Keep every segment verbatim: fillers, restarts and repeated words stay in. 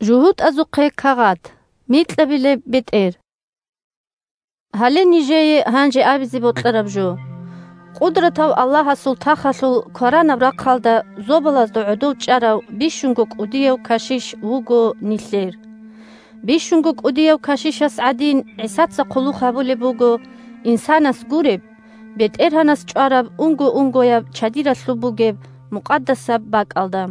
ЖугьутӀазухъе кагъат. Микьабилеб бетӀер. Гьале нижее гьанже абизе бокьараб жо. Къудратав Аллагьасул тахалъул кваранаб рахъалда зобалазда гӀодов чӀарав бищунго кӀудияв кашиш вуго нилъер. Бищунго кӀудияв кашишас гӀадин, ГӀисаца хъулухъ гьабулеб буго инсанас гуреб, БетӀергьанас чӀвараб унго-унгояб чадиралъуб бугеб мукъадасаб бакӀалда.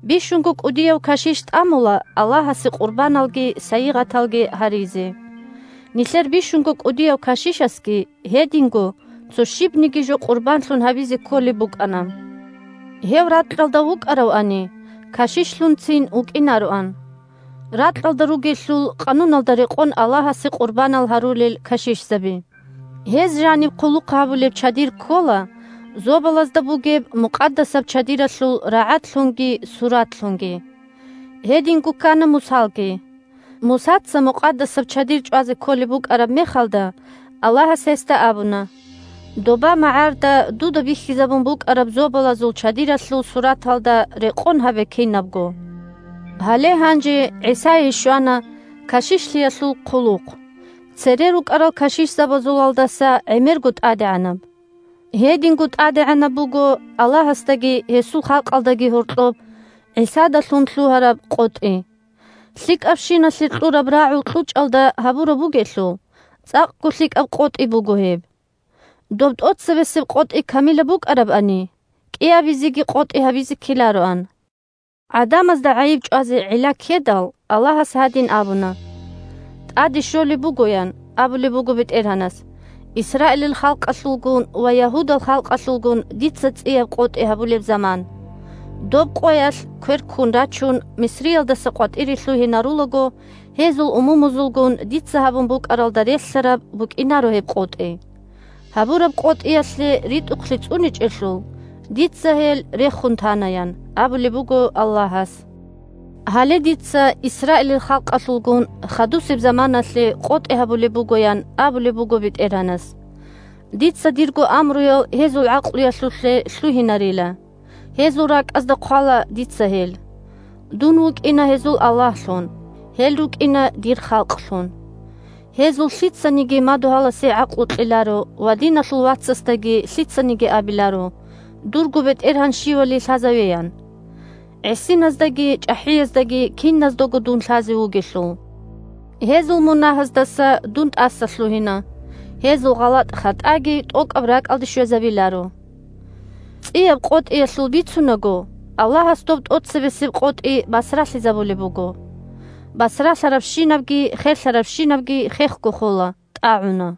Бищунго кӀудияв кашиш тӀамула Аллагьасе къурбаналги сайигъаталги гьаризе. Нилъер бищунго кӀудияв кашишасги гьединго цо щибниги жо къурбанлъун гьабизе кколеб букӀана. Гьев ракьалда вукӀаравани, кашишлъунцин вукӀинароан. Ракьалда ругелъул къануналда рекъон Аллагьасе къурбанал гьарулел кашишзаби. Гьез жаниб хъулухъ гьабулеб чадир ккола зобалазда бугеб мукъадасаб чадиралъул рагӀадлъунги суратлъунги. Гьединго ккана Мусалги. Мусаца мукъадасаб чадир чӀвазе кколеб букӀараб мехалда, Аллагьас гьесда абуна: «Доба магӀарда дуда бихьизабун букӀараб зобалазул чадиралъул сураталда рекъон гьабе кинабго». Гьале гьанже ГӀисае щвана кашишлъиялъул хъулухъ. Цере рукӀарал кашишзабазулалдаса гӀемерго тӀадегӀанаб. Гьединго тӀадегӀанаб буго Аллагьасдаги гьесул халкъалдаги гьоркьоб ГӀисадалъун лъугьараб къотӀи. ЛъикӀабщиналъе кьураб рагӀул кьучӀалда гьабураб бугелъул, цӀакъго лъикӀаб къотӀи буго гьеб. Доб тӀоцебесеб къотӀи камилаб букӀарабани, кӀиабизеги къотӀи гьабизе ккелароан. ГӀадамазда гӀайиб чӀвазе гӀилла ккедал, Аллагьас гьадин абуна: «ТӀаде щолеб бугоян», – абулеб буго БетӀергьанас, – «Исраилил халкъалъулгун ва Ягьудал халкъалъулгун дица цӀияб къотӀи гьабулеб заман. Доб къоялъ квер ккун рачун, Мисриялдаса къватӀире лъугьинарулаго, гьезул умумузулгун дица гьабун букӀаралда релълъараб букӀинаро гьеб къотӀи. Гьабураб къотӀиялъе ритӀухълъи цӀуничӀелъул, дица гьел рехун танаян», – абулеб буго Аллагьас. Гьале дица Исраилил халкъалъулгун хадусеб заманалъе къотӀи гьабулеб бугоян абулеб буго БетӀергьанас. Дица дирго амруял гьезул гӀакълуялъулъе лъугьинарила. Гьезул ракӀазда хъвала дица гьел. Дун вукӀина гьезул Аллагьлъун, гьел рукӀина дир халкълъун. Гьезул лъицаниги мадугьаласе гӀакълу кьеларо ва диналъул вацасдаги лъицаниги абиларо: «Дурго БетӀергьан щивали лъазавеян». ГӀисиназдаги чӀахӀияздаги киназдаго дун лъазе вугелъул. Гьезул мунагьаздаса дун тӀаса лъугьина, гьезул гъалатӀ-хатӀаги тӀокӀаб ракӀалде щвезабиларо. ЦӀияб къотӀиялъул бицунаго, Аллагьас доб тӀоцебесеб къотӀи басралъизабулеб буго. Басралъарабщинабги херлъарабщинабги хехго хола, тӀагӀуна.